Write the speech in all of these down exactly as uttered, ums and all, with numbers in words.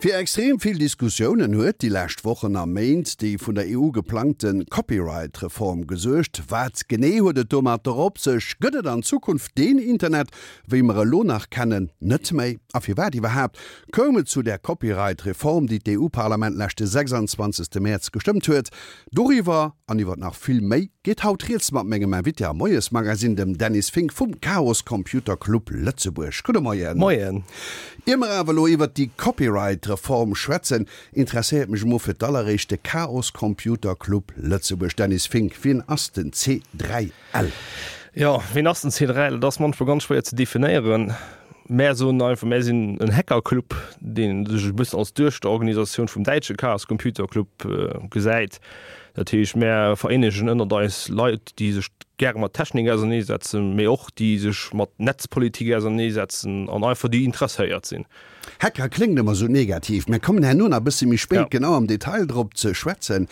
Fir extrem vill Diskussiounen huet déi lescht Wochen a Méint déi vun der E U geplangte Copyright-Reform gesuergt. Wat genee huet et domatter op sech? Gëtt et an Zukunft deen Internet, wéi mer elo nach kennen, net méi? A firwat iwwerhaapt koum et zu där Copyright-Reform, déi d'E U-Parlament leschte sechsanzwanzegste Mäerz gestëmmt huet? Doriwwer an iwwer nach vill méi geet haut rieds mat mengem Invité am Moiesmagazin, dem Dennis Fink vum Chaos Computer Club Lëtzebuerg. Gudde Moien. Moien. Ier mer awer elo iwwert déi Copyright-Reform schwätzen, interesséiert mech emol fir d'alleréischt de Chaos Computer Club Lëtzebuerg. Dennis Fink, wien ass den C dräi L? Jo, wien ass den C dräi L? Dat ass munchmol ganz schwéier ze definéieren. Mär soen einfach, mär sinn en Hackerclub, dee sech e bëssen als Duechterorganisatioun vum däitsche Chaos Computer Club gesäit. Dat heescht, mär vereenegen ënnert eis Leit, déi sech gäre mat Technik auserneesetzen, mee och déi sech mat Netzpolitik auserneesetzen an einfach déi interesséiert sinn. Hacker kléngt ëmmer sou negativ. Mir kommen herno nach e bësse méi spéit Ja. genau am Detail drop ze schwätzen.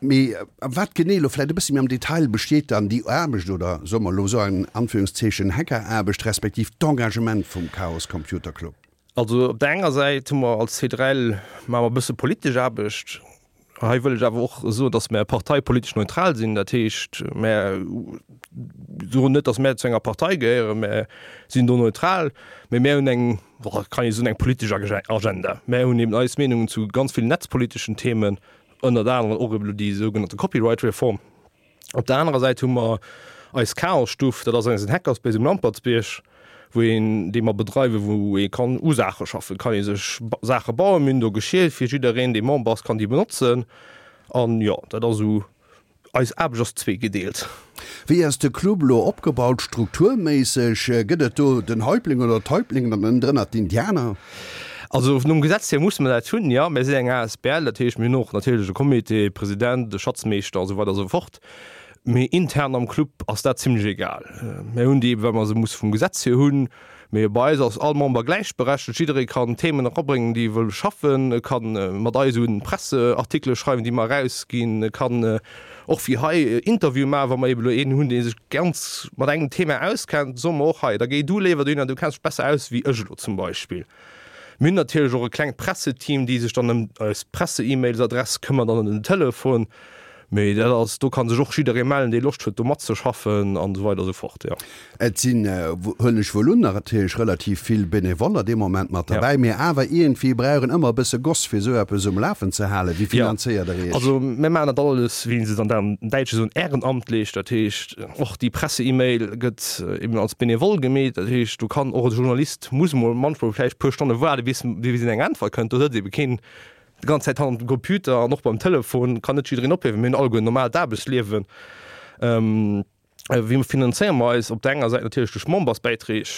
Mee wat genee elo vläicht e bësse méi am Detail besteet dann déi Aarbecht oder soe mer elo sou an Anführungszeechen Hackeraarbecht respektiv d'Engagement vum Chaos Computer Club? Also op der enger Säit hu mer als C dräi L maache mer e bësse politesch Aarbecht. Hei wëll ech awer och soen, datt mär parteipolitesch neutral sinn. Dat heescht, mär soen net, datt mär zu enger Partei gehéieren, mär sinn do neutral, mee mär hunn eng, kann ee soen, eng politesch Agenda. Mär hunn eben eis Meenungen zu ganz villen netzpoliteschen Themen, ënnert anerem och eben déi sougenannte Copyright-Reform. Op der anerer Säit hu mer eis Chaos-Stuff, dat ass eisen Hackerspace um Lampertsbierg, wou een, dee mer bedreiwen, wou ee kann u Saache schaffen, kann ee sech Saache bauen. Mir hunn do Geschir fir jiddereen, dee Member ass, kann déi benotzen. An jo, dat ass esou, eis Aarbecht ass zweegedeelt. Wéi ass de Club elo opgebaut strukturméisseg? Gëtt et do den Häuptling oder d'Häuptlingen an ënnendrënner d'Indianer? Also nom Gesetz hier musse mer dat hunn, jo. Mir sinn eng A S B L, dat heescht, mir hunn och natierlech e Comité, e President, e Schatzmeeschter a sou weider a sou fort. Mee intern am Club ass dat zimlech egal. Mir hunn déi, well mer se musse vum Gesetz hier hunn. Mee bei eis ass all Member gläichberechtegt. Jidderee kann Themen erabréngen, déi e wëll beschaffen. E ka mat eis un Presseartikele schreiwen, déi mer erausginn. E kann och wéi hei Interviewe maachen, wa mer eben elo een hunn, dee sech ganz mat engem Thema auskennt, soe mer och hei, da géi du léiwer dohinner, du kenns dech besser aus wéi ech elo zum Beispill. Mir hunn natierlech och e klengt Presseteam, déi sech dann ëm eis Presse-E-Mails-Adress këmmert an ëm den Telefon. Mee dat ass, do ka sech och jidderee mellen, dee Loscht huet do matzeschaffen an esou weider esou fort, jo. Et sinn, huelen ech wuel un, natierlech relativ vill Benevoller dee Moment mat Ja. derbäi, mee awer iergendwéi brauch een ëmmer e bësse Goss, fir esou eppes um Lafen ze halen. Wéi Ja, finanzéiert Der Iech? also mir maachen dat alles, wéi se et an am Däitsche soen, ehrenamtlich. Dat heescht, och déi Presse-E-Mail gëtt eben als Benevole gemeet. Dat heescht, do kann och e Journalist, muss mol manchmol vläicht e puer Stonne waarde bis bis en eng Äntwert kënnt. Do sëtzt ebe keen déi ganz Zäit hannert dem Computer an och beim Telefon kann net jiddereen ophiewen. Mir hunn alleguer en normaalt Aarbechtsliewen. Wéi finanzéiere mer eis? Op der enger Säit natierlech duerch Membersbäiträg,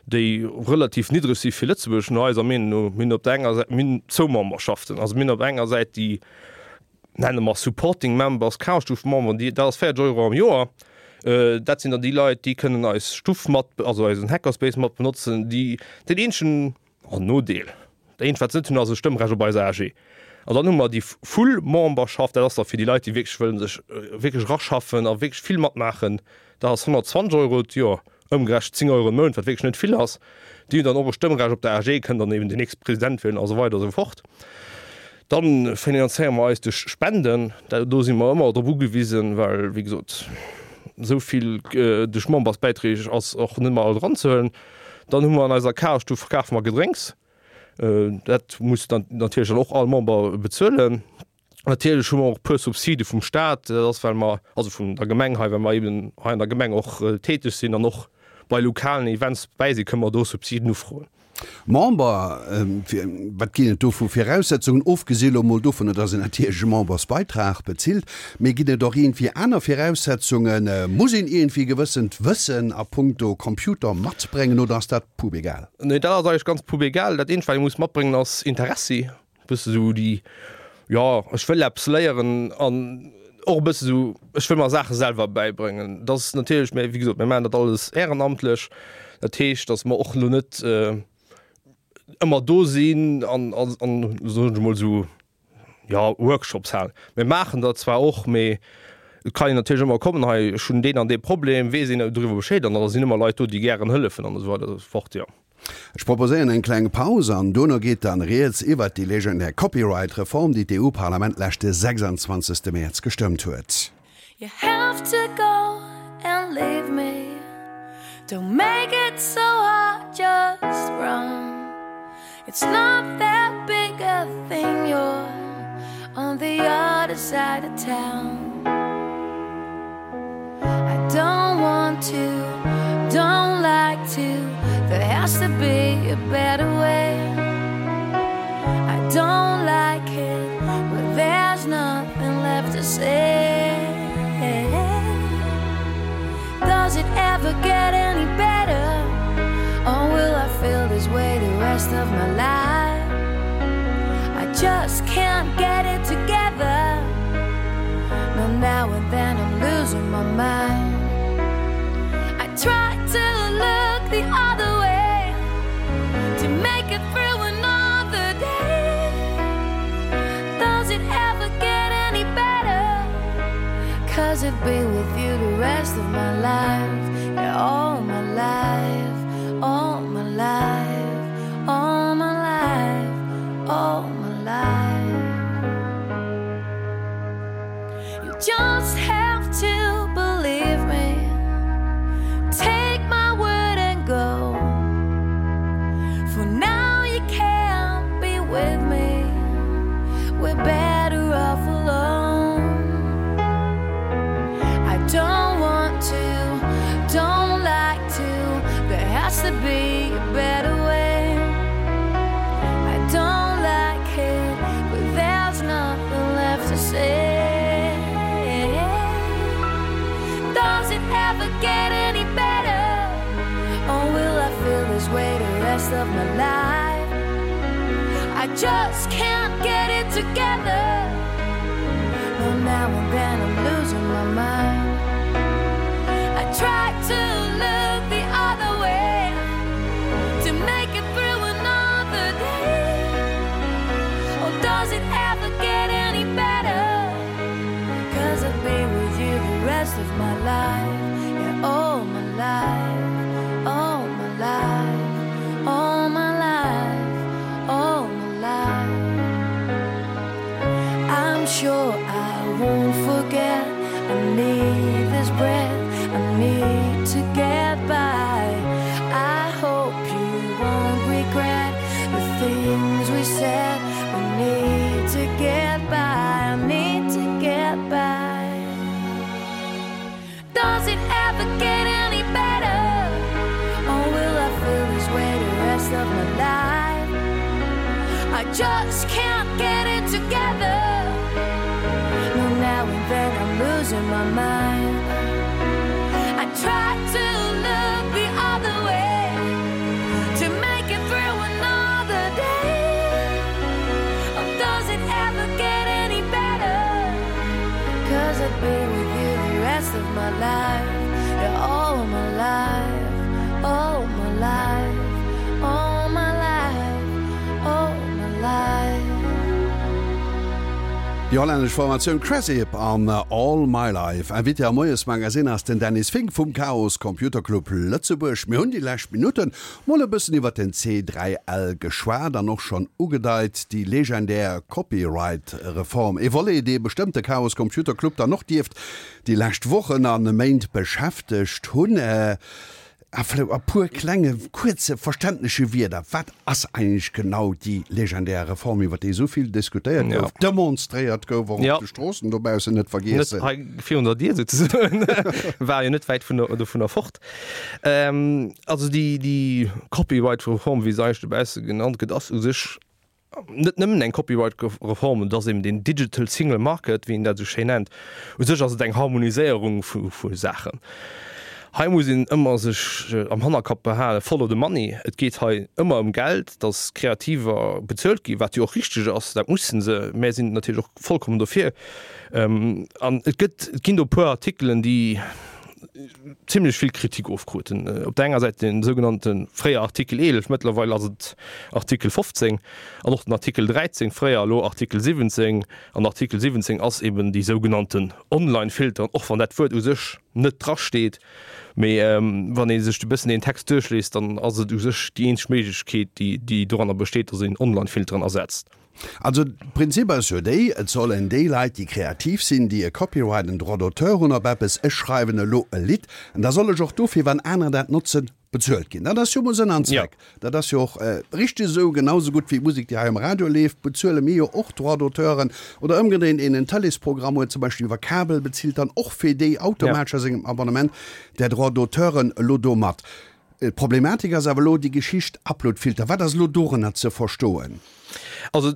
déi relativ niddreg si fir Lëtzebuerg no eiser Meenung no. Mir hunn op der enger Säit, mir hunn zwou Memberschaften. Also mir hunn op enger Säit déi nenne mer Supporting Members, Chaosstuff-Memberen, déi, dat ass véierzeg Euro am Joer. Dat sinn dann déi Leit, déi kënnen eis Stuff mat, also eisen Hackerspace mat benotzen, déi deen eenzegen Nodeel, dat eenzegt wat se net hunn, ass e Stëmmrecht op eiser A G. An dann hu mer déi Full Memberschaft, dat ass da fir déi Leit, déi wierklech wëllen sech wierklech eraschaffen a wierklech vill matmaachen, dat ass honnertzwanzeg Euro d'Joer, ëmgerechent zéng Euro am Mount, wat wierklech net vill ass. Déi hunn dann och e Stëmmrecht op der A G, kënnen dann eben den nächste President wielen a sou weider a sou fort. Dann finanzéiere mer eis duerch Spenden, do si mer ëmmer drop ugewisen, well wéi gesot esou vill duerch Membersbäiträg ass och net méi all dran ze huelen. Dann hu mer an eiser Chaosstuff verkafe mer Gedrénks, dat muss dann natierlech dann och all Member bezuelen. Natierlech hu mer och e puer Subside vum Staat, dat ass well mer, also vun der Gemeng hei, well mer eben hei an der Gemeng och täteg sinn an och bei lokalen Events dobäi sinn, kënne mer do Subsiden ufroen. Member, wat ginn et do vu Viraussetzungen, ofgesi lo mol dovun, datt een natierlech e Membersbeitrag bezilt, mee ginn et och iergendwéi aner Viraussetzungen? Muss een iergendwéi gewëssent Wëssen a punkto Computer matbréngen oder ass dat pubegal? Nee, dat ass eigentlech ganz pubegal. Dat eenzegt, wat ee muss matbréngen, ass Interessi, e bësse sou déi, jo, ech wëll eppes léieren an och e bësse sou, ech wëll mer Saache selwer bäibréngen. Dat ass natierlech, mä wéi gesot, mir maachen dat alles ehrenamtlech. Dat heescht, datt mer och elo net ëmmer do sinn an an an soen ech emol esou, jo, Workshops halen. Mir maachen der zwar och, mee et kann een natierlech ëmmer kommen, hei ech hunn deen an dee Problem, weess een doriwwer Bescheed an da sinn ëmmer Leit do, déi gären hëllefen an esou weider esou fort, jo. Ech proposéieren eng kleng Paus an dono geet dann rieds iwwert déi legendär Copyright-Reform, déi d'EU-Parlament leschte sechsundzwanzegste Mäerz gestëmmt huet. You have to go and leave me Don't make it so hard, just run It's not that big a thing, you're on the other side of town I don't want to, don't like to There has to be a better way I don't like it, but there's nothing left to say Does it ever get any better? Or will I feel this way the rest of my life? I just can't get it together No, now and then I'm losing my mind I try to look the other way To make it through another day Does it ever get any better? Cause I'd be with you the rest of my life Yeah, all my life, all my life, all my life, all my life You just have to believe me Take my word and go For now you can't be with me We're better off alone I don't want to, don't like to There has to be a better way I don't like it, but there's nothing left to say Does it ever get any better? Or will I feel this way the rest of my life? I just can't get it together No, now and then I'm losing my mind I try to look the other way To make it through another day Or does it ever get any better? Cause I'll be with you the rest of my life Yeah, all my life, all my life, all my life, all my life I'm sure I won't forget I need this breath, I need to get by I hope you won't regret the things we said We need to get by, I need to get by Does it ever get any better? Or will I feel this way the rest of my life? I just can't get it together No, now and then I'm losing my mind I try to look the other way To make it through another day Or does it ever get any better? Cause I'd be with you the rest of my life Yeah, all my life, all my life, all my life, all my life Déi hollännesch Formatioun Krezip an All My Life. Invité am Moiesmagazin ass den Dennis Fink vum Chaos Computer Club Lëtzebuerg. Mir hunn déi lescht Minutten mol e bëssen iwwer den C dräi L geschwat an och schonn ugedeit, déi legendär Copyright-Reform. E Volet, dee bestëmmt de Chaos Computer Club dann och dierft déi lescht Wochen a Méint beschäftegt hunn. A vläicht a puer klenge, kuerze, verständleche Wierder, wat ass eigentlech genau déi legendär Reform, iwwer déi esou vill diskutéiert gouf, demonstréiert gouf, och op de Stroossen dobaussen, net vergiessen. Net hei virun der Dier souzesoen, war jo net wäit vun der, dovunner fort. Also déi, déi Copyright-Reform, wéi se eigentlech dobausse genannt gëtt, ass u sech net nëmmen eng Copyright-Reform, et ass eben den Digital Single Market, wéi een dat esou schéin nennt. U sech ass et eng Harmoniséierung vu, vu Saachen. Hei muss een ëmmer sech am Hannerkapp behalen, follow the money, et geet hei ëmmer ëm Geld, dass Kreativer bezuelt ginn, wat jo och richteg ass, dat mussen se, mär sinn natierlech och vollkommen dofir. An et gëtt, et ginn do e puer Artikelen, déi zimlech vill Kritik ofkruten. Op der enger Säit den sougenannte fréier Artikel eelef, mëttlerweil ass et Artikel fofzéng, an och den Artikel dräizéng, fréier, elo Artikel siwwenzéng. An Artikel siwwenzéng ass eben déi sougenannten Online-Filteren, och wann dat Wuert u sech net drasteet, mee wann ee sech e bëssen deen Text duerchliest, dann ass et u sech déi eenzeg Méiglechkeet, déi déi doranner besteet, datt een Online-Filteren ersetzt. Also d'Prinzip ass jo déi, et sollen déi Leit, déi kreativ sinn, déi e Copyright, en Droit d'auteur hunn op eppes, ech schreiwen elo e Lidd, an da soll ech och dofir, wann anerer dat notzen, bezuelt ginn. Dat ass jo mol Sënn an Zweck. Dat ass jo och richteg esou. Genau esou gutt wéi d'Musek, déi hei um Radio leeft, bezuele mir jo och Droit d'auteuren. Oder ëmgedréint, een en Tëleesprogramm huet, zum Beispill iwwer Kabel, bezilt dann och fir déi automatesch a sengem Abonnement där Droit d'auteuren elo do mat. D'Problematik ass awer elo déi Geschicht Uploadfilter. Wat ass elo dorënner ze verstoen? Also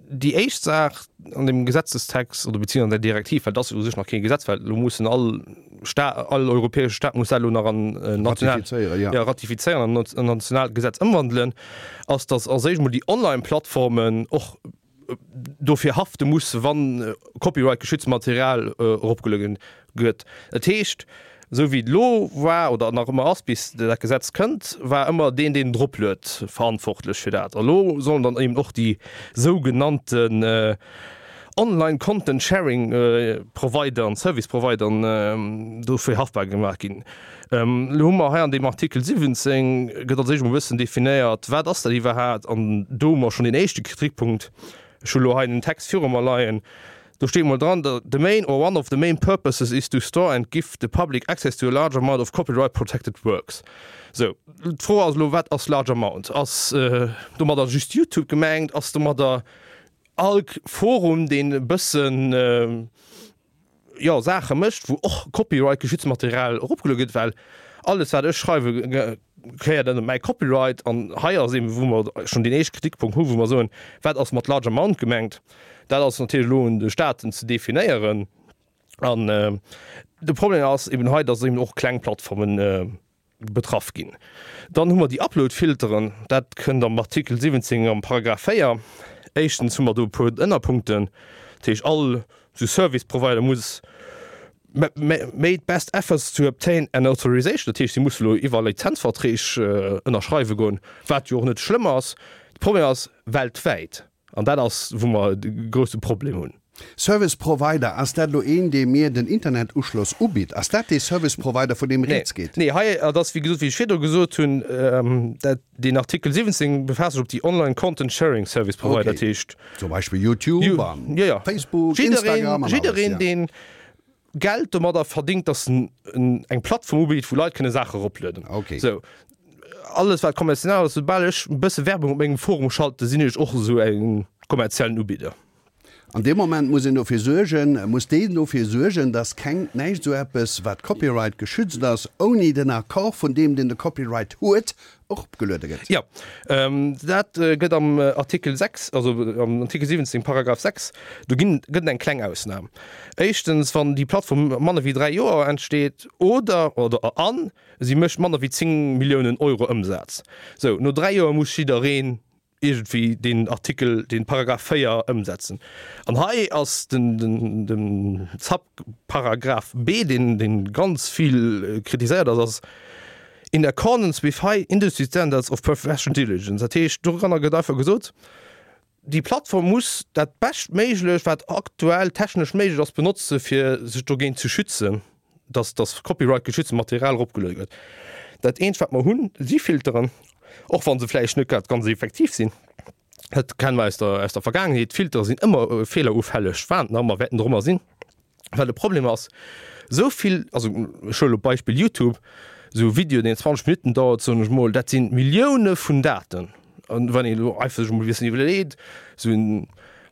déi éischt Saach an deem Gesetzestext oder beziehungsweise an der Direktiv, well et ass jo u sech nach kee Gesetz, well elo mussen all Sta all europäesche Staat muss dat elo nach an national Ratifizéieren, ja. ja, ratifizéieren an an nationaalt Gesetz ëmwandelen, ass, datt als éischt emol déi Online-Plattformen och dofir hafte musse wann copyright-geschützt Material eropgelueden gëtt. Dat heescht, esou wéi et elo war oder nach ëmmer ass, bis dat Gesetz kënnt, war ëmmer deen, deen eropluet, verantwortlech fir dat. A lo sollen dann eben och déi sougenannten Online Content Sharing Provideren, Service Provideren dofir haftbar gemaach ginn. Elo hu mer hei an deem Artikel siwwenzéng gëtt als éischt emol e bëssen definéiert, wat ass dat iwwerhaapt? An do hu mer schonn deen éischte Kritikpunkt. Ech hu elo hei den Text viru mer leien. Do steet emol dran, The main or one of the main purposes is to store and give the public access to a large amount of copyright protected works. Sou, d'Fro ass elo, wat ass large amount? Ass domadder just YouTube gemengt? Ass domadder all Forum, deen e bëssen, jo, Saache mécht, wou och copyright-geschützt Material eropgeluede gëtt? Well alles, wat ech schreiwe, gehéiert ënner mäi Copyright. An hei ass eben, wou mer schonn deen éischte Kritikpunkt hu, wou mer soen, Wat ass mat large amount gemengt? Dat ass natierlech elo un de Staaten ze definéieren. An de Problem ass eben hei, datt eben och kleng Plattformen betraff ginn. Dann hu mer déi Upload-Filteren, dat kënnt am Artikel siwwenzéng am Paragraph véier. Éischtens hu mer do e puer Ënnerpunkten, dat heescht all esou Service Provider muss made best efforts to obtain an authorization, dat heescht si musse elo iwwer Lizenzverträg ënnerschreiwe goen, wat jo och net schlëmm ass. De Problem ass weltwäit, an dat ass wou mer de grousse Problem hunn. Service Provider, ass dat elo een, dee mir den Internetuschloss ubitt? Ass dat dee Service Provider, vun deem rieds geet? Nee, hei, et ass wéi gesot, wéi ech virdru gesot hunn, dat deen Artikel siwwenzéng befaasst sech op déi Online Content Sharing Service Provider, dat heescht. Zum Beispill YouTube a Facebook, Instagram an alles. Jiddereen, deen Geld domadder verdingt, datt en eng Plattform ubitt, wou Leit kënne Saache eroplueden. Sou, alles wat kommerziell ass, soubal ech e bësse Werbung op mengem Forum schalte, sinn ech och esou e kommerziellen Ubidder. An deem Moment muss een dofir suergen, muss deen dofir suergen, dass keng, näischt esou eppes, wat Copyright geschützt ass, ouni den Accord vun deem, deen de Copyright huet, eropgeluede gëtt. Jo, dat gëtt am Artikel sechs, also am Artikel siwwenzéng, Paragraph sechs, do ginn, gëtt et eng kleng Ausnam. Éischtens, wann déi Plattform manner wéi dräi Joer entsteet oder, oder an si mécht manner wéi zéng Milliounen Euro Ëmsaz. Sou, no dräi Joer muss jiddereen iergendwéi deen Artikel, deen Paragraph véier ëmsetzen. An hei ass den, den, den Subparagraph B, deen, deen ganz vill kritiséiert ass, ass in accordance with high industry standards of professional diligence. Dat heescht, doranner gëtt einfach gesot, déi Plattform muss dat Beschtméiglecht, wat aktuell technesch méiglech ass, benotze fir sech dogéint ze schützen, dass, dass copyright-geschützte Material eropgeluede gëtt. Dat eenzegt, wat mer hunn, si Filteren, och wa se vläicht net grad ganz effektiv sinn. Dat kenne mer aus der, aus der Vergaangenheet. Filtere sinn ëmmer feelerufälleg, waren nach ëmmer, wäerten och ëmmer sinn. Well de Problem ass, esou vill, also ech huele lo d'Beispill YouTube, esou e Video, deen zwanzeg Minutten dauert, soen ech mol, dat si Millioune vun Daten. An wann een elo einfach sech emol e bëssen iwwerleet, esou en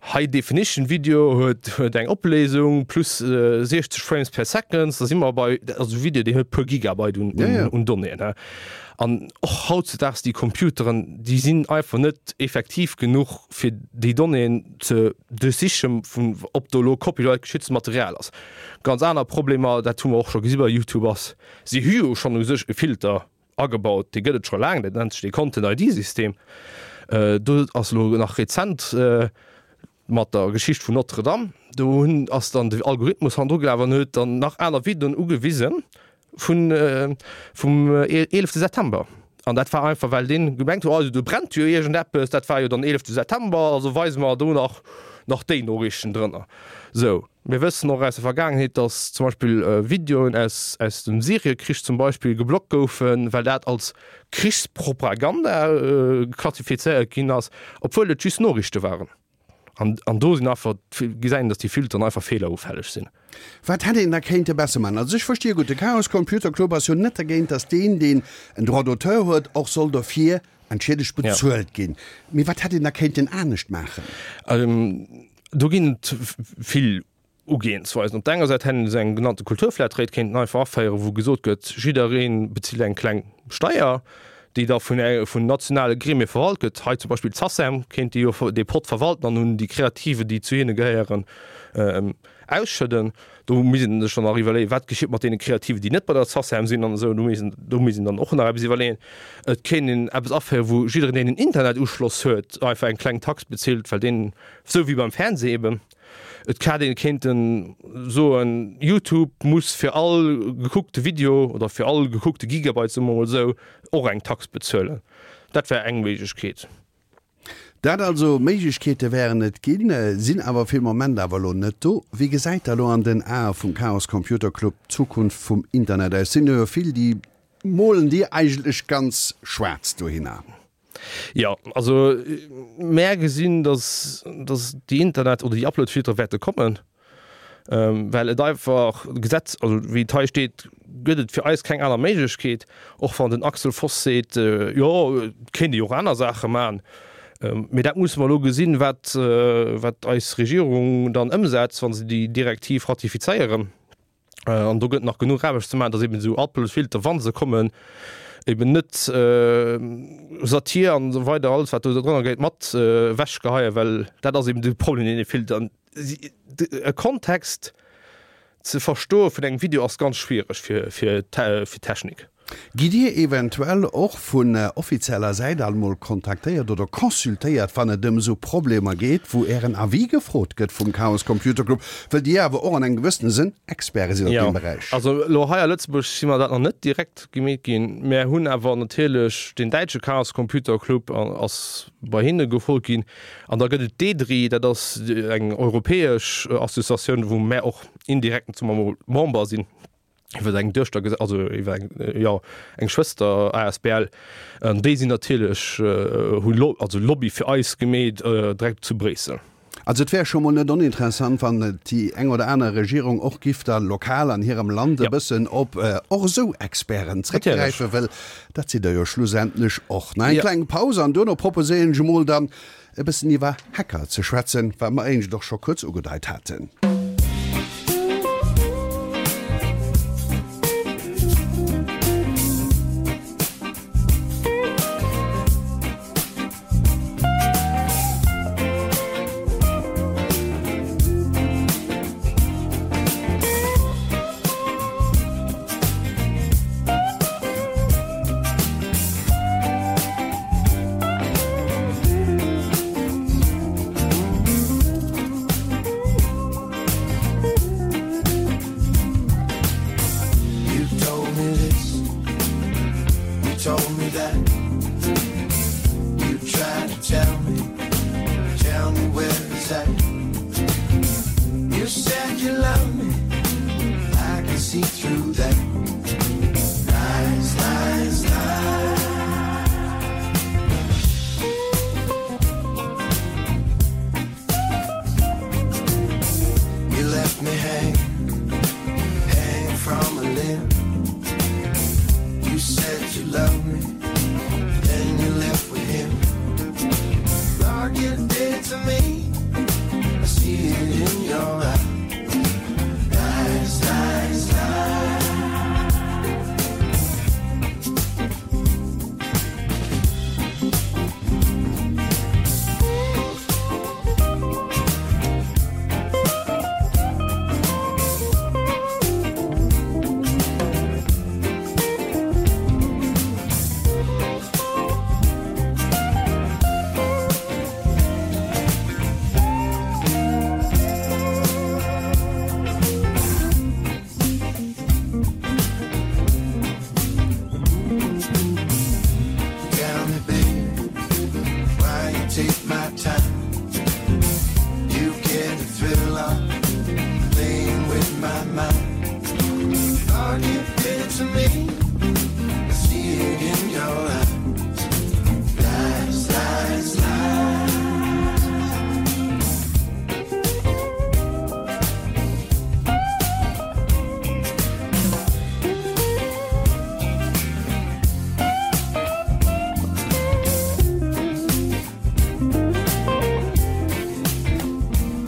High Definition Video huet huet eng Opléisung plus siechzeg Frames per Second, da si mer bei, dat ass e Video, deen huet e puer Gigabyte un un Donnéeën. An och hautzedaags déi Computeren, déi sinn einfach net effektiv genuch, fir déi Donnéeën ze duerchsichen, vun ob do elo copyright-geschütztes Material ass. Ganz aner Problemer, dat hu mer och scho gesi bei YouTube, ass, si hu jo schonn u sech e Filter, Agebaut, dee gëtt et scho laang, dat nennt sech dee Content-ID-System. Do ass elo nach rezent mat der Geschicht vun Notre-Dame, do hunn ass dann de Algorithmus hannendru gelaf an huet dann nach aner Videoen ugewisen, vun vum eelefte September. An dat war einfach, well deen gemengt huet, also do brennt jo iergendeppes, dat war jo dann eelefte September, also weise mer do nach nach déi Noriichten drënner. Sou, mir wëssen och aus der Vergaangenheet, datt zum Beispill Videoen aus aus dem Syriekrich zum Beispill geblockt goufen, well dat als Krichspropaganda klassifizéiert ginn ass, obwuel et just Noriichte waren. An, an do sinn einfach, gesäit een, datt déi Filteren einfach feelerufälleg sinn. Wat hätt een da kéinte besser man? Also ech verstehe gutt, de Chaos Computer Club ass jo net dergéint, datt deen, deen en Droit d'auteur huet, och soll dofir entschiedegt bezuelt ginn. Mee wat hätt een da kéinten anescht maachen? Do ginn et vill Ugehensweisen. Op der enger Säit hätt een esou eng genannte Kulturflatrate kéinten einfach aféieren, wou gesot gëtt, jidderee bezilt eng kleng Steier, déi da vun vun nationale Gremie verwalt gëtt. Hei zum Beispill d'SACEM kéint déi jo dee Pott verwalten an hunn déi Kreative, déi zu hinne gehéieren, ausschëdden. Do misst een sech dann nach iwwerleeën, wat geschitt mat deene Kreativen, déi net bei der SACEM sinn an esou. Do misst een, do misst een dann och nach eppes iwwerleeën. Et kéint een eppes aféieren, wou jiddereen, deen en Internetuschloss huet, einfach eng kleng Tax bezilt, well deen, esou wéi beim Fernseh eben. Et hätt een kéinten soen, YouTube muss fir all gekuckte Video oder fir all gekuckte Gigabyte, soe mer emol esou, och eng Tax bezuelen. Dat wär eng Méiglechkeet. Dat also, Méiglechkeete wären et ginn, sinn awer fir de Moment awer elo net do. Wéi gesäit da elo an den Ae vum Chaos Computer Club d'Zukunft vum Internet aus? Sinn jo vill, déi molen déi eigentlech ganz schwaarz dohinner. Jo, also mär gesinn, dass, dass déi Internet oder déi Uploadfiltere wäerte kommen, well et einfach Gesetz, also wéi et hei steet, gëtt et fir eis keng aner Méiglechkeet, och wann den Axel Voss seet, jo et kéint ee jo och aner Saache maachen. Mee dat musse mer elo gesinn, wat, wat eis Regierung dann ëmsetzt, wa se déi Direktiv ratifizéieren. An do gëtt nach genuch Aarbecht ze maachen, datt eben esou Uploadfilter, wa se kommen, eben net Satir an esou weider, alles wat do drënner geet, mat ewechgeheien, well dat ass eben de Problem, deen ee fillt. An e Kontext ze verstoe vun engem Video ass ganz schwiereg fir fir d'Technik. Gitt Dir eventuell och vun offizieller Säit alt mol kontaktéiert oder consultéiert, wann et ëm esou Problemer geet, wou Ären Avis gefrot gëtt vum Chaos Computer Club, wëll Dir awer och an engem gewëssene Sënn Experte sidd op Jo, deem Beräich? also elo hei a Lëtzebuerg si mer dat nach net direkt gemeet ginn. Mär hunn awer natierlech den däitsche Chaos Computer Club ass bei hinne gefrot ginn. An da gëtt et d'EDRI, dat ass eng europäesch Associatioun, wou mär och indirekt soe mer mol Member sinn. Iwwer eng Duechter, also iwwer eng, jo, eng Schwëster asbl. An déi sinn natierlech, hu also Lobby fir eis gemeet direkt zu Bréissel. Also et wär scho mol net oninteressant, wann déi eng oder aner Regierung och giff da lokal an hirem Land e bëssen op och esou Experten zréckgräifen, well dat sidd Der jo schlussendlech och. Nach eng kleng Paus an duerno proposéieren ech emol dann e bëssen iwwer Hacker ze schwätzen, wat mer éinescht och scho kuerz ugedeit haten.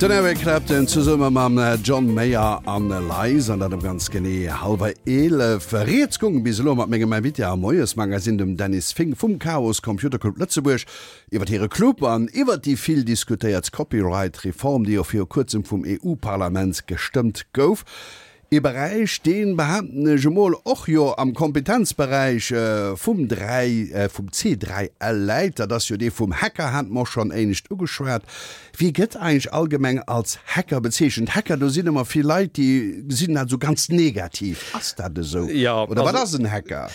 Den Eric Clapton zesumme mam John Mayer an Lies an dat um ganz genee hallwer eelef. Rieds goung bis elo mat mengem Invité am Moiesmagazin, dem Dennis Fink vum Chaos Computer Club Lëtzebuerg, iwwer hire Club an iwwer déi vill diskutéiert Copyright-Reform, déi jo viru kuerzem vum E U-Parlament gestëmmt gouf. Ee Beräich, deen, behaapten ech emol, och jo am Kompetenzberäich vum dräi, vum C dräi L läit, dat ass jo dee vum Hacker, hate mer och schonn éinescht ugeschwat. Wie gëtt eigentlech allgemeng als Hacker bezeechent? Hacker, do sinn ëmmer vill Leit, déi gesinn dat esou ganz negativ. Ass dat esou? Jo, Oder wat ass en Hacker?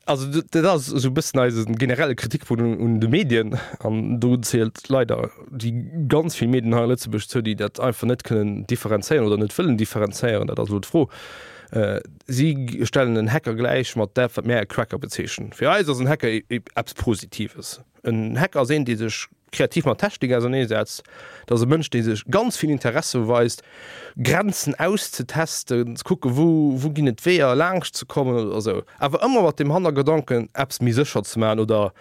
Also dat ass esou e bëssen eise generelle Kritikpunkt un de Medien, an do zielt leider déi ganz vill Medien hei a Lëtzebuerg zou, déi dat einfach net kënnen differenzéieren oder net wëllen differenzéieren, dat ass elo d'Fro. Si stellen en Hacker gläich mat dat, wat mär e Cracker bezeechnen. Fir eis ass en Hacker eppes Positives. En Hacker ass een, dee sech kreativ mat Technik auserneesetzt. Dat ass e Mënsch, dee sech ganz vill Interesse weist, Grenzen auszetesten, ze kucken, wou, wou ginn et Weeër laanscht ze kommen oder esou. Awer ëmmer mat dem Hannergedanken, eppes méi sécher ze maachen oder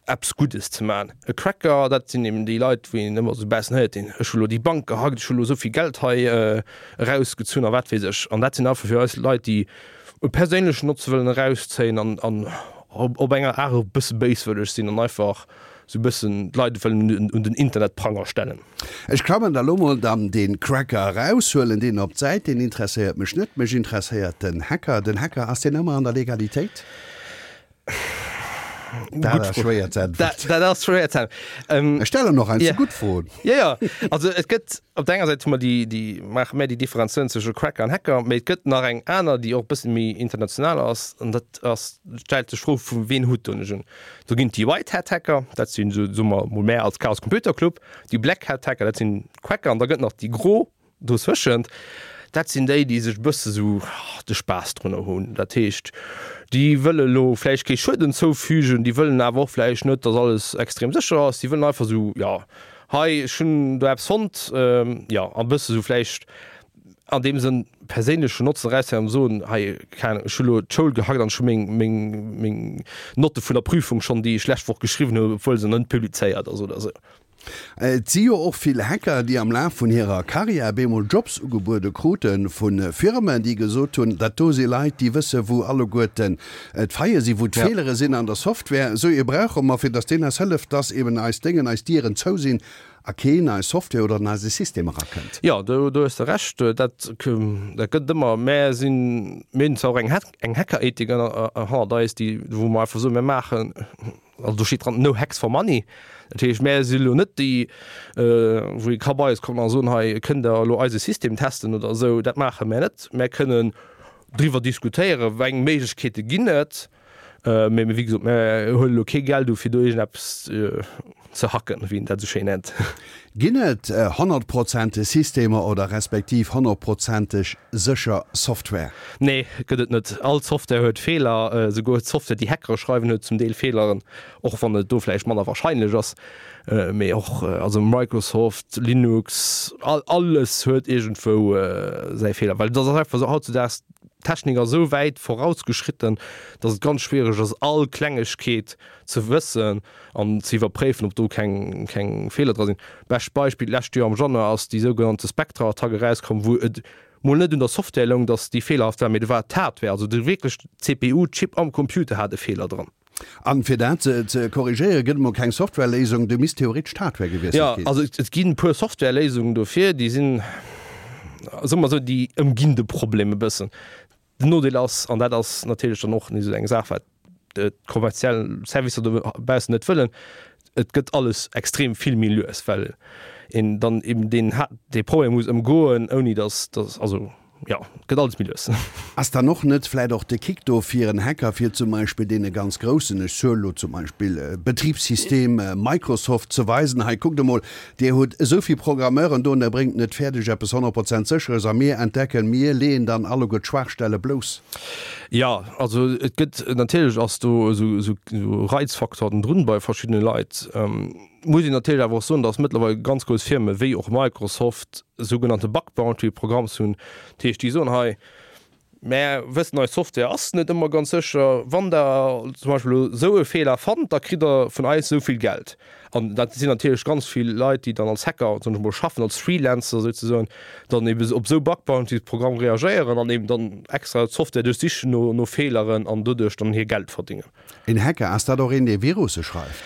eppes Guddes ze maachen. E Cracker, dat sinn eben déi Leit, wou een ëmmer esou bessen héiert, deen, ech hu lo déi Bank gehackt, ech hu lo esou vill Geld hei erausgezunn a wat weess ech. An dat sinn einfach fir eis Leit, déi e perséinlechen Notze wëllen erauszéien an, an op enger Aart och e bësse béiswëlleg sinn an einfach sou bëssen d'Leit wëllen un den Internetpranger stellen. Ech klammen da lo mol dann dee Cracker eraus, huelen deen op d'Säit, deen interesséiert mech net, mech interesséiert den Hacker. Den Hacker, ass deen ëmmer an der Legalitéit? Dat ass schwéier ze äntweren. Dat ass schwéier ze äntweren. Ech stellen och heiansdo gutt Froen. Jo, jo. Also et gëtt op der enger Säit hu mer déi, déi maache mär déi Differenzatioun zwësche Cracker an Hacker, mee et gëtt nach eng aner, déi och e bësse méi international ass, an dat ass, stellt sech d'Fro, vu ween Hutt doen ech un. Do ginn et déi White Hat Hacker, dat sinn, soe mer mol mär als Chaos Computer Club, déi Black Hat Hacker, dat sinn d'Cracker, an da gëtt nach déi Gro dozwëschent. Dat sinn déi, déi sech e bësse sou de Spaass drunner hunn. Dat heescht, déi wëlle lo vläicht kee Schueden zoufügen, déi wëllen awer och vläicht net, datt alles extrem sécher ass. Déi wëllen einfach sou, jo, hei, ech hunn do eppes fonnt, jo, a bësse sou vläicht an deem Sënn perséinlechen Notzen erauszéien an soen, hei, keng Ahnung, ech hu lo d'Schoul gehackt an ech hu meng, meng, meng Notte vun der Prüfung schonn, déi ech lescht Woch geschriwwen hunn, obwuel se nach net publizéiert ass oder sou. Et si jo och vill Hacker, déi am Laf vun hirer Karriär bemol Jobs ugebuede krute vu Firmen, déi gesot hunn, dat do si Leit, déi wësse wou alleguerten d'Faille sinn, wou d'Feelere sinn an der Software. Esou ee brauche mer, fir datt deen eis hëlleft, datt eben eis Déngen, eis Dieren zou sinn a keen eis Software oder an eise System erakënnt. Jo, do hues de Recht. Dat gëtt ëmmer. Mär sinn, mir hunn zwar och eng Hackerethik hannert eis, déi, wou mer einfach soen, mir maachen, also do steet dran, no hacks for money. Dat heescht, mär si lo net déi, wou ee ka bei eis kommen a soen, hei kënnt Der elo eise System testen oder esou. Dat maache mär net. Mär kënnen driwwer diskutéieren, wéi eng Méiglechkeete ginn et. Mee wéi gesot, mär huele lo kee Geld u fir do iergendeppes ze hacken, wéi een dat esou schéin nennt. Ginn et honnertprozenteg Systemer oder respektiv honnertprozenteg sécher Software? Nee, gëtt et net. All Software huet Feeler. Esouguer d'Software, déi Hackere schreiwen, huet zum Deel Feeleren, och wann et do vläicht manner warscheinlech ass. Mee och, also Microsoft, Linux, alles huet iergendwou säi Feeler. Well et ass einfach esou, hautzudaags, d'Technik ass esou wäit vorausgeschritten, datt et ganz schwiereg ass, all Klengegkeet ze wëssen an ze iwwerpréifen, ob do keng, keng Feeler dra sinn. Bescht Beispill, d'lescht Joer am Januar ass déi sougenannte Spectre-Attack erauskomm, wou et mol net un der Software loung, datt déi feelerhaft war, mee do war et d'Hardware, also de wierklech C P U-Chip am Computer hat e Feeler dran. An fir dat ze korrigéieren, gëtt et mol keng Softwareléisung, do misst theoretesch d'Hardware gewiesselt Jo, ginn. also et ginn e puer Softwareléisungen dofir, déi sinn, soe mer esou, déi ëmginn de Problem e bëssen. Den Nodeel ass, an dat ass natierlech dann och nees esou eng Saach, wat d'kommerziell Servicer dobaussen net wëllen, et gëtt alles extrem vill méi lues, well een dann eben deen dee Problem muss ëmgoen, ouni datt, datt, also jo, et gëtt alles méi lues. Ass dann och net vläit och de Kick do fir en Hacker, fir zum Beispill deene ganz Groussen, ech soe lo zum Beispill Betribssystem Microsoft, ze weisen, hei kuckt emol, Dir hutt esou vill Programmeuren do an der bréngt net fäerdeg eppes honnert Prozent Sécheres a mir entdecken, mir leeën dann alleguer d'Schwaachstelle blouss? Jo, also et gëtt, natierlech ass do esou esou Reizfaktoren drun bei verschiddene Leit. Muss een natierlech awer och soen, datt mëttlerweil ganz grouss Firme wéi och Microsoft sougenannte Bug Bounty Programms hunn. Dat heescht, déi soen, hei, mär wëssen, eis Software ass net ëmmer ganz sécher. Wann Der zum Beispill elo esou e Feeler fannt, da kritt Der vun eis esou vill Geld. An dat sinn natierlech ganz vill Leit, déi dann als Hacker, soen ech mol, schaffen, als Freelancer souzesoen, dann eben op esou Bug Bounty Programm reagéieren an eben dann extra d'Software duerchsichen no, no Feeleren an doduerch dann hir Geld verdingen. Een Hacker, ass dat och een, dee Virusse schreift?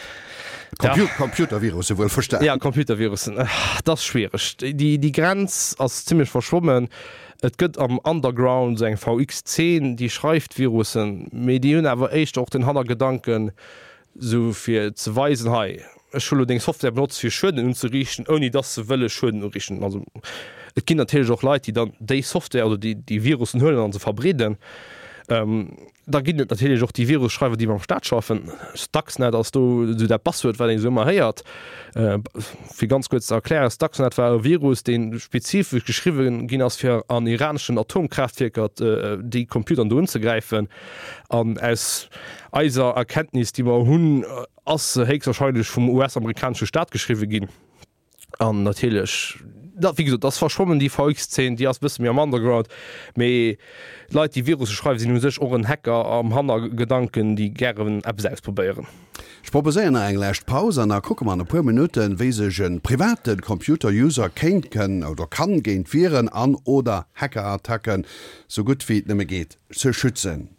Compu Computervirusse wuel verstan. Ja, Computervirussen, dat ass schwiereg. Déi, déi Grenz ass zimmlech verschwommen. Et gëtt am Underground esou eng V X-Zeen, déi schreift Virussen, mee déi hunn awer éischter och den Hannergedanken, sou fir ze weisen, hei, ech hu lo deng Software benotzt fir Schueden unzeriichten, ouni dass se wëlle Schueden uriichten. Also et ginn natierlech och Leit, déi dann déi Software oder déi, déi Virussen huelen an se verbreeden. Da ginn et natierlech och déi Virusschreiwer, déi mam Staat schaffen. Stuxnet ass do esou dat Buzzword, wat een esou ëmmer héiert. Fir ganz kuerz ze erklären, Stuxnet war e Virus, dee spezifesch geschriwwen ginn ass, fir an iraneschen Atomkraaftwierker déi Computeren do unzegräifen. An aus eiser Erkenntnis, déi mer hunn, ass se héchstwahrscheinlech vum U S-amerikanesche Staat geschriwwe ginn. An natierlech, dat, wéi gesot, ass verschwommen, déi V X-Zeen, déi ass e bësse méi am Underground. Mee Leit, déi Virusse schreiwen, sinn u sech och en Hacker am Hannergedanken, déi gären eppes ausprobéieren. Ech proposéieren nach eng lescht Paus an da kucke mer an e puer Minutten, wéi sech e private Computer-User kéint, kënn oder kann géint Viren an oder Hackerattacken sou gutt wéi et nëmme geet ze schützen.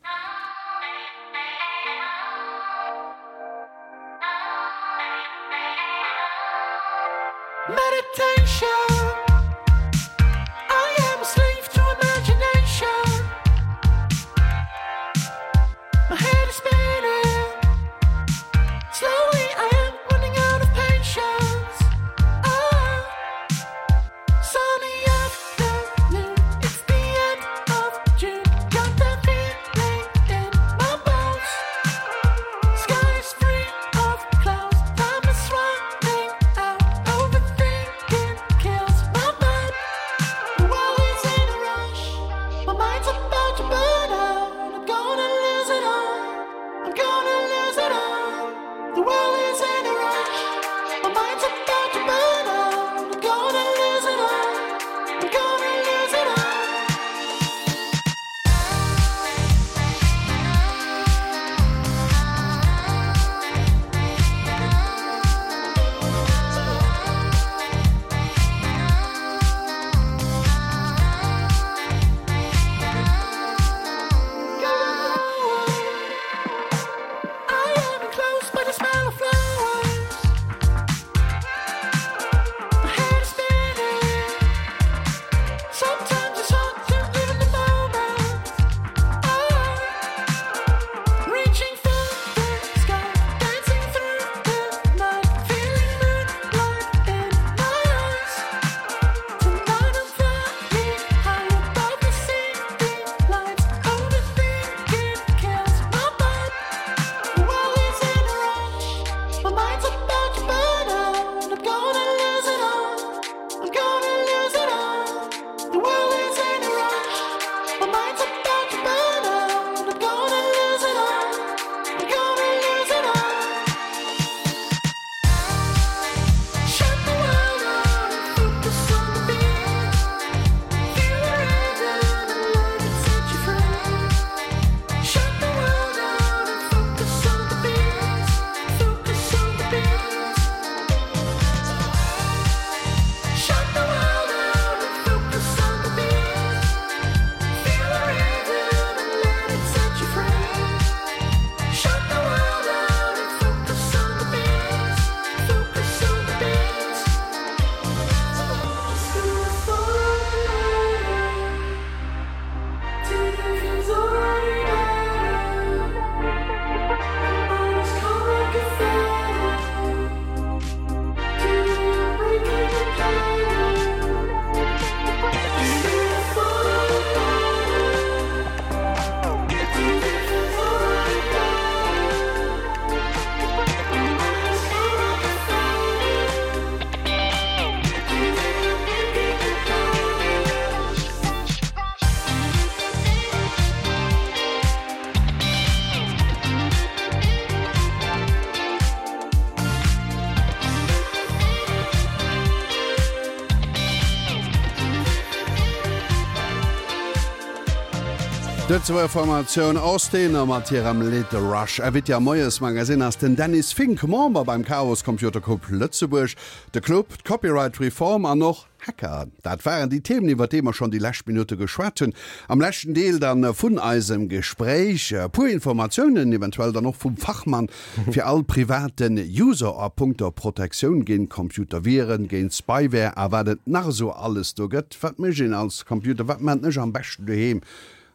D'Lëtzebuerger Formatioun Austin mat hirem Lidd Rush. Invité am Moiesmagazin ass den Dennis Fink, Member beim Chaos Computer Club Lëtzebuerg. De Club, d'Copyright Reform an och Hacker, dat waren déi Themen, iwwer déi mer schonn déi lescht Minutte geschwat hunn. Am leschten Deel dann vun eisem Gespréich e puer Informatiounen, eventuell dann och vum Fachmann, fir all privaten User a punkto Protektioun géint Computerviren, géint Spyware a wat et nach esou alles do gëtt. Wat mécht een als Computer, wat maachen ech am beschten doheem,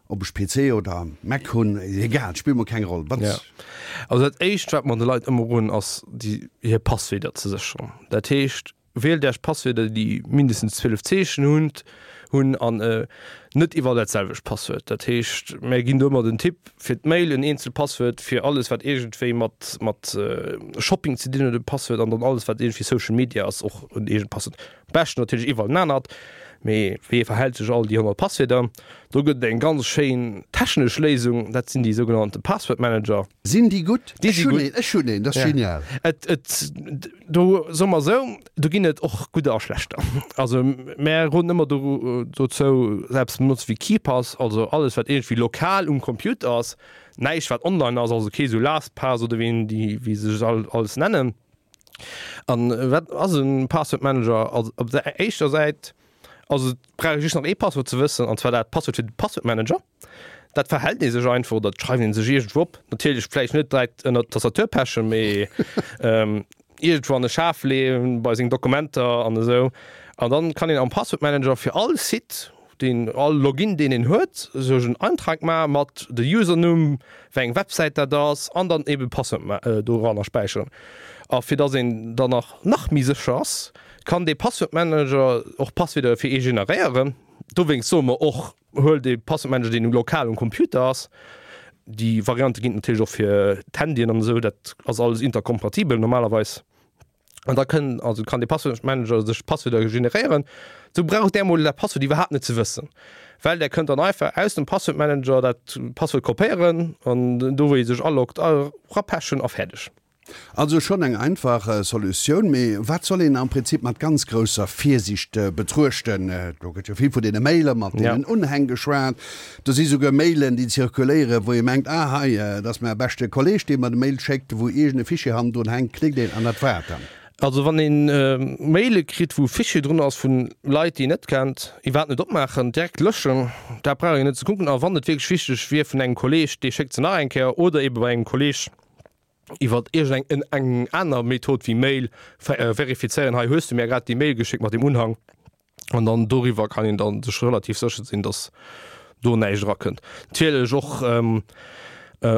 ob ech P C oder Mac hunn, egal, spillt mol keng Roll. Wat? Ja. Also dat éischt, wat mer de Leit ëmmer roden, ass déi hir Passwierder ze sécheren. Dat heescht, wielt Iech Passwierder, déi mindestens zwielef Zeechen hunn hunn an net iwwerall dat selwecht Passwuert. Dat heescht, mir ginn do ëmmer den Tipp, fir d'Mail en eenzelt Passwuert, fir alles wat iergendwéi mat mat Shopping ze dinn huet e Passwuert an dann alles wat iergendwéi Social Media ass och en eegent Passwuert. Am beschten natierlech iwwerall en anert, mee wee verhält sech all déi honnert Passwierder? Do gëtt et eng ganz schéin technesch Léisung, dat sinn déi sougenannte Password Manager. Sinn déi gutt? Déi Ech si hunn gutt. een, ech hunn een, dat ass Ja. genial. Et, et, do soe mer esou, do ginn et och gudder a schlechter. Also mär roden ëmmer do, dozou, selbst benotze wéi KeePass, also alles wat iergendwéi lokal um Computer ass, näischt wat online ass, also kee sou LastPass oder wéi déi, wéi se sech all, alles nennen. An wat ass en Password Manager? Also op der éischter Säit, also et brauch ee just nach ee Passwuert ze wëssen, an zwar dat Passwuert fir de Password Manager. Dat verhält ee sech einfach oder dat schreift ee sech iergendwou op. Natierlech vläicht net direkt ënnert d'Tastatur pechen, mee iergendwou an e Schaf leeën, bei seng Dokumenter an esou. An dann kann een am Password Manager fir all Site, deen, all Login deen een huet, sech en Eintrag maache mat de Usernumm, wéi eng Websäit dat ass, an dann eben Passwort doranner späicheren. A fir dass een dann nach nach méi sécher ass, kann dee Password Manager och Passwierder fir ee generéieren. Dowéinst soe mer och, huel dee Password Manager deen lokal um Computer ass. Déi Variante ginn et natierlech och fir d'Handyen an esou, dat ass alles interkompatibel normalerweis. An da kënn, also kann dee Password Manager sech Passwierder generéieren. Sou braucht där mol dat Passwuert iwwerhaapt net ze wëssen, well där kënnt dann einfach aus dem Password Manager dat Passwuert kopéieren an do wou ee sech aloggt erapechen a fäerdeg. Also schonn eng einfach Solutioun, mee wat soll een am Prinzip mat ganz grousser Virsiicht betruechten? Do gëtt jo vill vun deene Maile mat deenen Unhäng geschwat. Do si souguer Mailen, déi zirkuléieren, wou ee mengt, ah hei, dat ass mäi beschte Kolleeg, dee mer de Mail schéckt, wou iergend e Fichier hannendrun hänkt, klickt een an dat war et dann. Also wann een Maile kritt, wou e Fichier drun ass vun Leit, déi een net kennt, iwwerhaapt net opmaachen, direkt löschen, dat brauch een net ze kucken. A wann et wierklech wichteg wier vun engem Kolleeg, dee schéckt se nach eng Kéier oder eebe bei engem Kolleeg iwwert iergend eng aner Method wéi Mail verifizéieren, hei hues du mir grad déi Mail geschéckt mat deem Unhang, an dann doriwwer kann een dann sech relativ sécher sinn, dass do näischt erakënnt. Natierlech och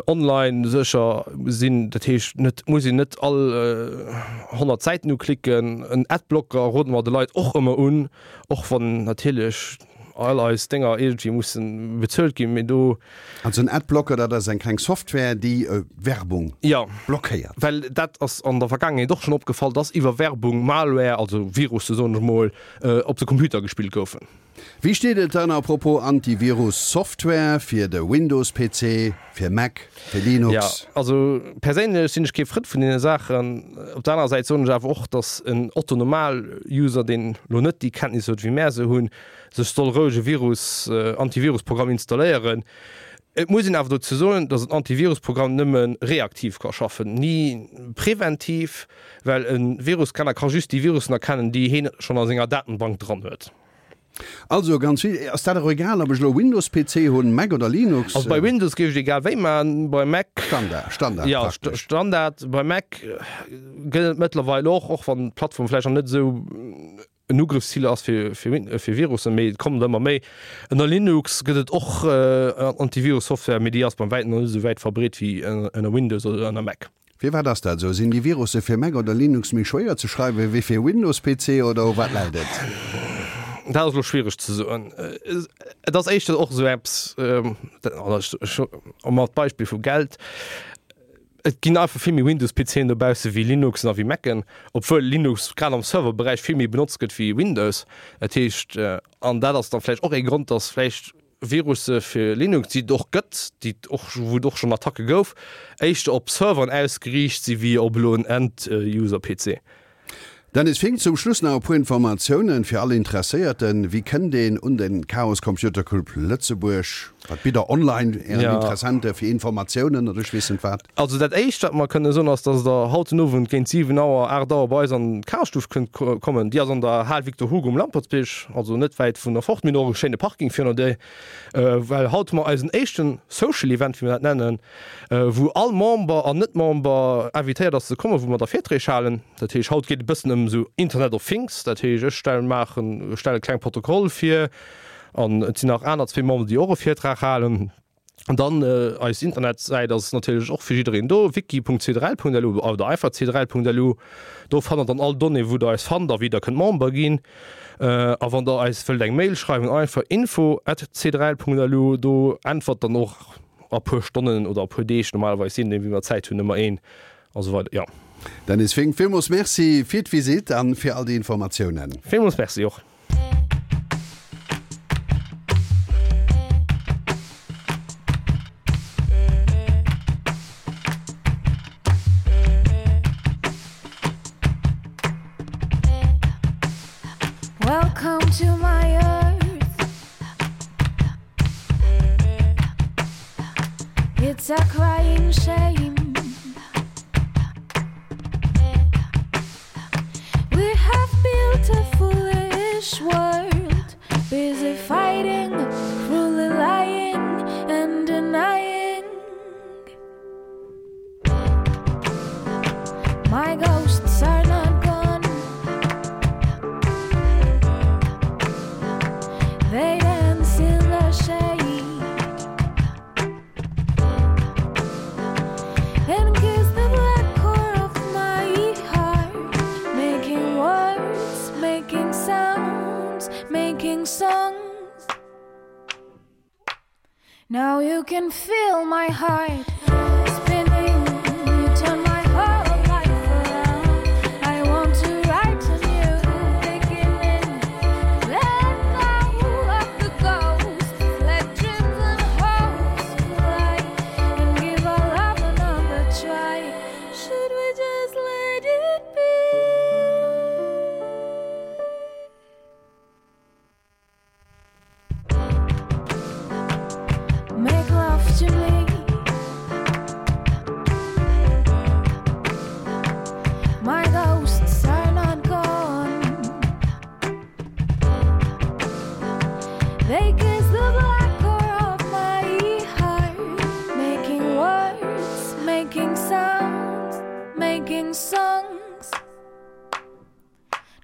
online sécher sinn, dat heescht net muss een net all honnert Säiten uklicken. En Adblocker rode mer de Leit och ëmmer un, och wann natierlech all eis Dénger iergendwéi mussen bezuelt ginn, mee do. Also en Adblocker, dat ass eng kleng Software, déi Werbung blockéiert. Jo, well dat ass an der Vergaangenheet och schonn opgefall, dass iwwer Werbung Malware, also Virusse soen ech mol, op de Computer gespillt goufen. Wéi steet et dann à propos Antivirus-Software fir de Windows-P C, fir Mac, fir Jo, Linux? also perséinlech sinn ech kee Frënd vun deene Saachen. Op der anerer Säit soen ech awer och, datt en Otto-Normal-User, deen elo net déi Kenntnis huet wéi mär se hunn, sech soll roueg e Virus, Antivirus-Programm installéieren. Et muss een awer dozou soen, datt en Antivirus-Programm nëmme reaktiv ka schaffen, ni preventiv, well e Virusscanner ka just déi Virussen erkennen, déi heen schonn a senger Datenbank dran huet. Also ganz vill. Ass dat och egal, ob ech elo Windows-P C hunn, Mac oder Linux? Also bei Windows géif ech et egal wéi maachen, bei Mac. Standard, Standard Ja, praktesch. Standard. Bei Mac gëtt et mëttlerweil och, och wann d'Plattform vläicht nach net esou en Ugrëffszil ass fir, fir, fir Virussen, mee et kommen der ëmmer méi. Ënner Linux gëtt et och Antivirus-Software, mee déi ass beim wäiten nach net esou wäit verbreet wéi ënner Windows oder ënner Mac. Firwat ass dat esou? Sinn déi Virusse fir Mac oder Linux méi schwéier ze schreiwen wéi fir Windows-P C oder u wat läit et? Dat ass elo schwiereg ze soen. Et ass éischter och esou eppes, mat Beispill vu Geld, Et ginn einfach vill méi Windows-P Cen dobausse wéi Linuxen a wéi Macen, obwuel Linux grad am Serverberäich vill méi benotzt gëtt wéi Windows. Dat heescht, an dat ass da vläicht och ee Grond, datt vläicht Virusse fir Linux, déi et och gëtt, déi et och, wou et och schonn Attacke gouf, éischter op Serveren ausgeriicht si wéi op elo en End-User-P C. Dennis Fink, zum Schluss nach e puer Informatiounen fir all Interesséierten, Wéi kënnt een un den Chaos Computer Club Lëtzebuerg? Wat bitt der online Ären Interessente fir Informatiounen oder ech weess net wat? Also dat éischt wat mer kënne soen ass, dass der haut den Owend géint siwen Auer, aacht Auer bei eis an d'Chaosstuff kënnt kommen. Déi ass an der Hal Victor Hugo um Lampertsbierg, also net wäit vun der Fort. Mir hunn och e schéine Parking virun der Dier, well haut hu mer eisen éischten Social Event, wéi mer dat nennen, wou all Member an Net-Member invitéiert ass ze kommen, wou mer da Virträg halen. Dat heescht haut geet et e bëssen ëm esou Internet of Things, dat heescht ech stellen, maachen, stelle kleng Protokoll vir, An et sinn nach aner zwee Memberen, déi och e Virtrag halen. An dann eis Internetsäit ass natierlech och fir jiddereen do, wiki.cdrl.lu oder einfach cdrl.lu. Do fannt der dann all Donnéeë wou der eis fannt a wéi der kënnt Member ginn. A wann der eis wëllt eng Mail schreiwen, einfach info at cdrl.lu. Do äntwert dann och a puer Stonnen oder a puer Deeg normalerweis, je nodeem wéi mer Zäit hunn, ëmmer een a sou weider. Jo. Dennis Fink, villmools Merci fir d'Visitt an fir all déi Informatiounen. Villmools Merci och. Welcome to my earth It's a crying shame We have built a foolish world Busy fighting, cruelly lying and denying My ghosts are not gone They dance in the shade And kiss the black core of my heart Making words, making sounds, making songs Now you can feel my heart spinning You turn my whole life around I want to write a new beginning Let go of the ghosts Let dreams and hopes fly And give our love another try Should we just let it be? Make love to me My ghosts are not gone They kiss the black core of my heart Making words, making sounds, making songs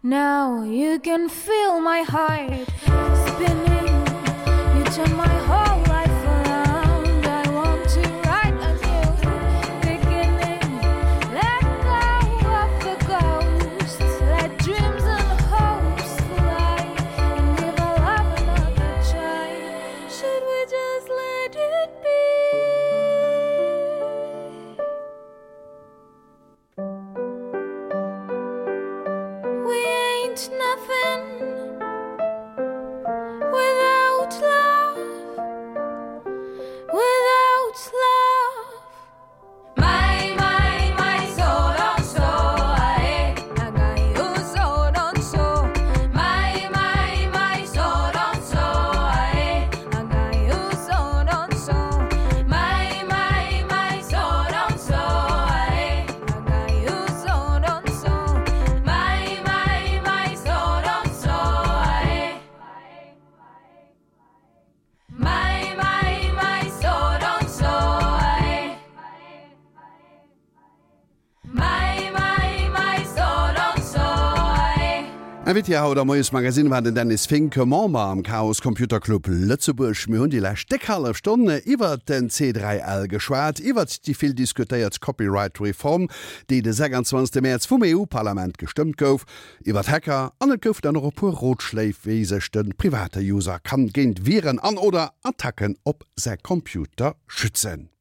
Now you can feel my heart spinning You turn my whole life around I want to write a new beginning Let go of the ghosts Let dreams and hopes fly And give our love another try Should we just let it be? We ain't nothing without love without love My my my so don't so I you so don't so my my my so don't so I you so don't so my my my so don't so I you so don't so my my my so don't so I My my my so don't so I My my my so don't so I Invité haut am Moiesmagazin war den Dennis Fink, Member am Chaos Computer Club Lëtzebuerg. Mir hunn déi lescht déck hallef Stonn iwwert den C dräi L geschwat, iwwert déi vill diskutéiert Copyright-Reform, déi de sechsundzwanzegste Mäerz vum E U-Parlament gestëmmt gouf, iwwert Hacker an et goufen dann och e puer Rotschléi, wéi sech de private User kann géint Viren an oder Attacken op säi Computer schützen.